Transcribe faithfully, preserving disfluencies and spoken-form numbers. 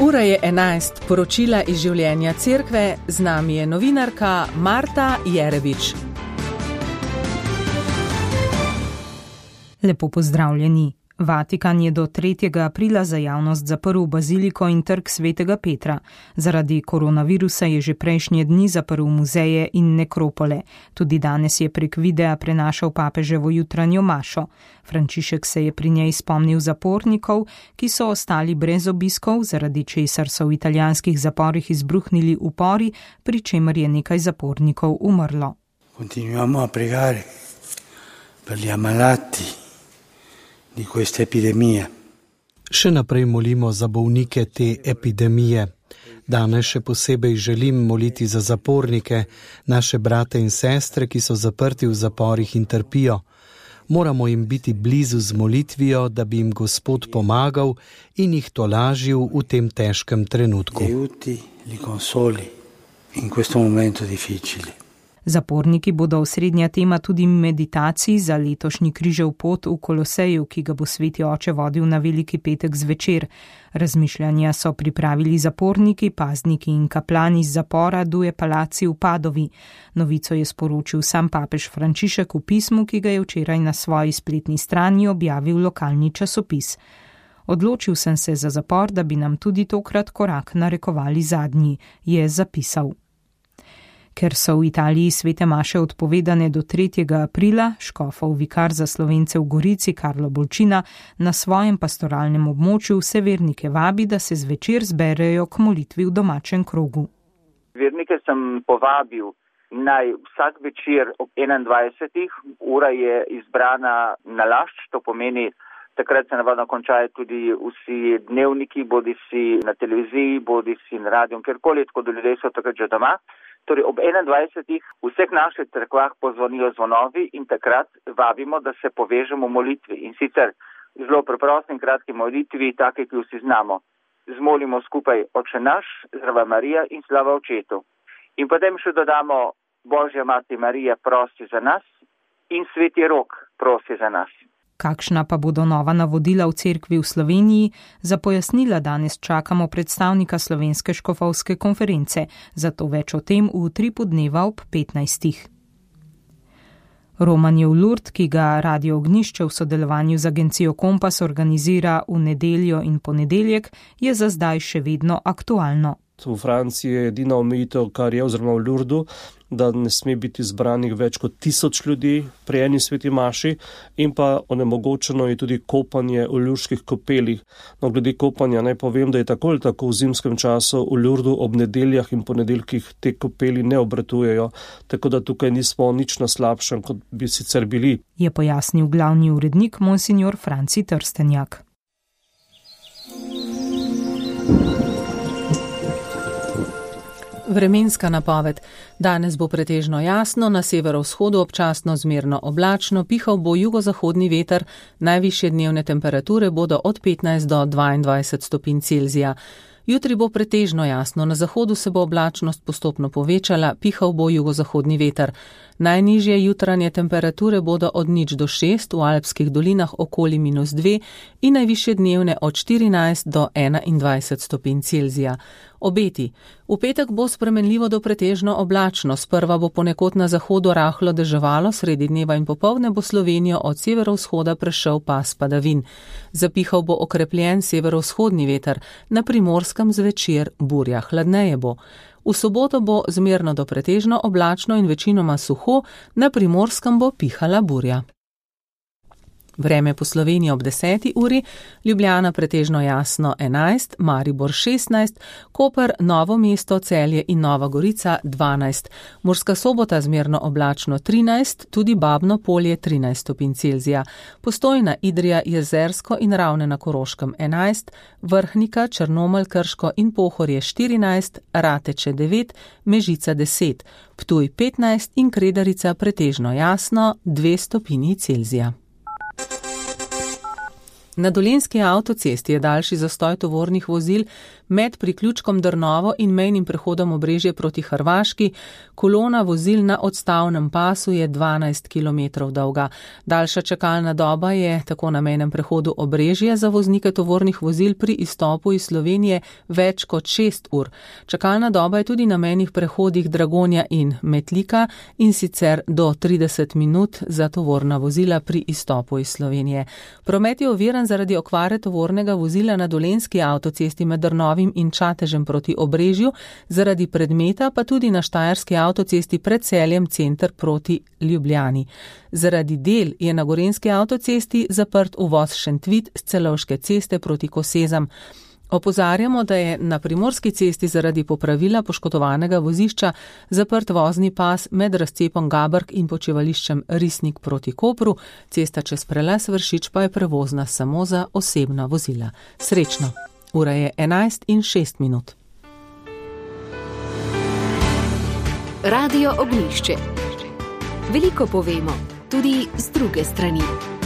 Ura je enajst, poročila iz življenja cerkve, z nami je novinarka Marta Jerevič. Lepo pozdravljeni. Vatikan je do tretjega aprila za javnost zaprl baziliko in trg svetega Petra. Zaradi koronavirusa je že prejšnje dni zaprl muzeje in nekropole. Tudi danes je prek videa prenašal papeževo jutranjo mašo. Frančišek se je pri njej spomnil zapornikov, ki so ostali brez obiskov, zaradi česar so v italijanskih zaporih izbruhnili upori, pri čemer je nekaj zapornikov umrlo. Continuiamo a pregare per gli ammalati di questa epidemia. Še naprej molimo za bolnike te epidemije. Danes še posebej želim moliti za zapornike, naše brate in sestre, ki so zaprti v zaporih in trpijo. Moramo jim biti blizu z molitvijo, da bi jim Gospod pomagal in jih tolažil v tem težkem trenutku. Aiuti, li consoli in questo momento difficile. Zaporniki bodo osrednja tema tudi meditacij za letošnji križev pot v Koloseju, ki ga bo sveti oče vodil na Veliki petek zvečer. Razmišljanja so pripravili zaporniki, pazniki in kaplani iz zapora Due Palazzi v Padovi. Novico je sporočil sam papež Frančišek v pismu, ki ga je včeraj na svoji spletni strani objavil lokalni časopis. Odločil sem se za zapor, da bi nam tudi tokrat korak narekovali zadnji, je zapisal. Ker so v Italiji svete maše odpovedane do tretjega aprila, škofov vikar za Slovence v Gorici Karlo Bolčina na svojem pastoralnem območju vse vernike vabi, da se zvečer zberejo k molitvi v domačem krogu. Vernike sem povabil naj vsak večer ob enaindvajsetih, ura je izbrana na lašč, to pomeni, takrat se navadno končajo tudi vsi dnevniki, bodi si na televiziji, bodi si na radiju, kjerkoli, tako da ljudje so takrat že doma. Torej ob enaindvajsetih v vseh naših cerkvah pozvonijo zvonovi in takrat vabimo, da se povežemo v molitvi. In sicer zelo preprosti in kratki molitvi, take, ki vsi znamo. Zmolimo skupaj Oče naš, Zdrava Marija in slava Očetu. In potem še dodamo Božja Mati Marija prosi za nas in Sveti Rok prosi za nas. Kakšna pa bodo nova navodila v cerkvi v Sloveniji, za pojasnila danes čakamo predstavnika Slovenske škofovske konference, zato več o tem v utripu dneva ob petnajstih. Romanjev Lurd, ki ga Radio Ognjišče v sodelovanju z agencijo Kompas organizira v nedeljo in ponedeljek, je za zdaj še vedno aktualno. V Franciji je edina omejitev, kar je, oziroma v Lurdu, da ne sme biti zbranih več kot tisoč ljudi pri eni sveti maši in pa onemogočeno je tudi kopanje v lurških kopelih. No, glede kopanja naj povem, da je tako ali tako v zimskem času v Lurdu ob nedeljah in ponedeljkih te kopeli ne obratujejo, tako da tukaj nismo nič na slabšem, kot bi sicer bili. Je pojasnil glavni urednik monsignor Franci Trstenjak. Vremenska napoved. Danes bo pretežno jasno, na severovzhodu občasno zmerno oblačno, pihal bo jugozahodni veter, najvišje dnevne temperature bodo od petnajst do dvaindvajset stopinj Celzija. Jutri bo pretežno jasno, na zahodu se bo oblačnost postopno povečala, pihal bo jugozahodni veter. Najnižje jutranje temperature bodo od nič do šest, v alpskih dolinah okoli minus dve in najvišje dnevne od štirinajst do enaindvajset stopinj Celzija. Obeti. V petek bo spremenljivo do pretežno oblačno, sprva bo ponekod na zahodu rahlo deževalo, sredi dneva in popoldne bo Slovenijo od severovzhoda prešel pas padavin. Zapihal bo okrepljen severovzhodni veter, na Primorskem zvečer burja, hladneje bo. V soboto bo zmerno do pretežno oblačno in večinoma suho, na Primorskem bo pihala burja. Vreme po Sloveniji ob deseti uri, Ljubljana pretežno jasno enajst, Maribor šestnajst, Koper, Novo mesto, Celje in Nova Gorica dvanajst, Murska Sobota zmerno oblačno trinajst, tudi Babno Polje trinajst stopinj Celzija, Postojna, Idrija, Jezersko in Ravne na Koroškem enajst, Vrhnika, Črnomelj, Krško in Pohorje štirinajst, Rateče devet, Mežica deset, Ptuj petnajst in Kredarica pretežno jasno dve stopinji Celzija. Na Dolenjski avtocesti je daljši zastoj tovornih vozil med priključkom Drnovo in mejnim prehodom Obrežje proti Hrvaški. Kolona vozil na odstavnem pasu je dvanajst kilometrov dolga. Daljša čakalna doba je tako na mejnem prehodu Obrežje za voznike tovornih vozil pri izstopu iz Slovenije več kot šest ur. Čakalna doba je tudi na mejnih prehodih Dragonja in Metlika in sicer do trideset minut za tovorna vozila pri izstopu iz Slovenije. Promet je oviran zaradi okvare tovornega vozila na Dolenjski avtocesti med Drnovim in Čatežem proti Obrežju, zaradi predmeta pa tudi na Štajerski avtocesti pred Celjem center proti Ljubljani. Zaradi del je na Gorenjski avtocesti zaprt uvoz Šentvid s Celovške ceste proti Kosezam. Opozarjamo, da je na Primorski cesti zaradi popravila poškodovanega vozišča zaprt vozni pas med razcepom Gabrk in počivališčem Risnik proti Kopru. Cesta čez prelaz Vršič pa je prevozna samo za osebna vozila. Srečno! Ura je enajst in šest minut. Radio Ognjišče. Veliko povemo, tudi z druge strani.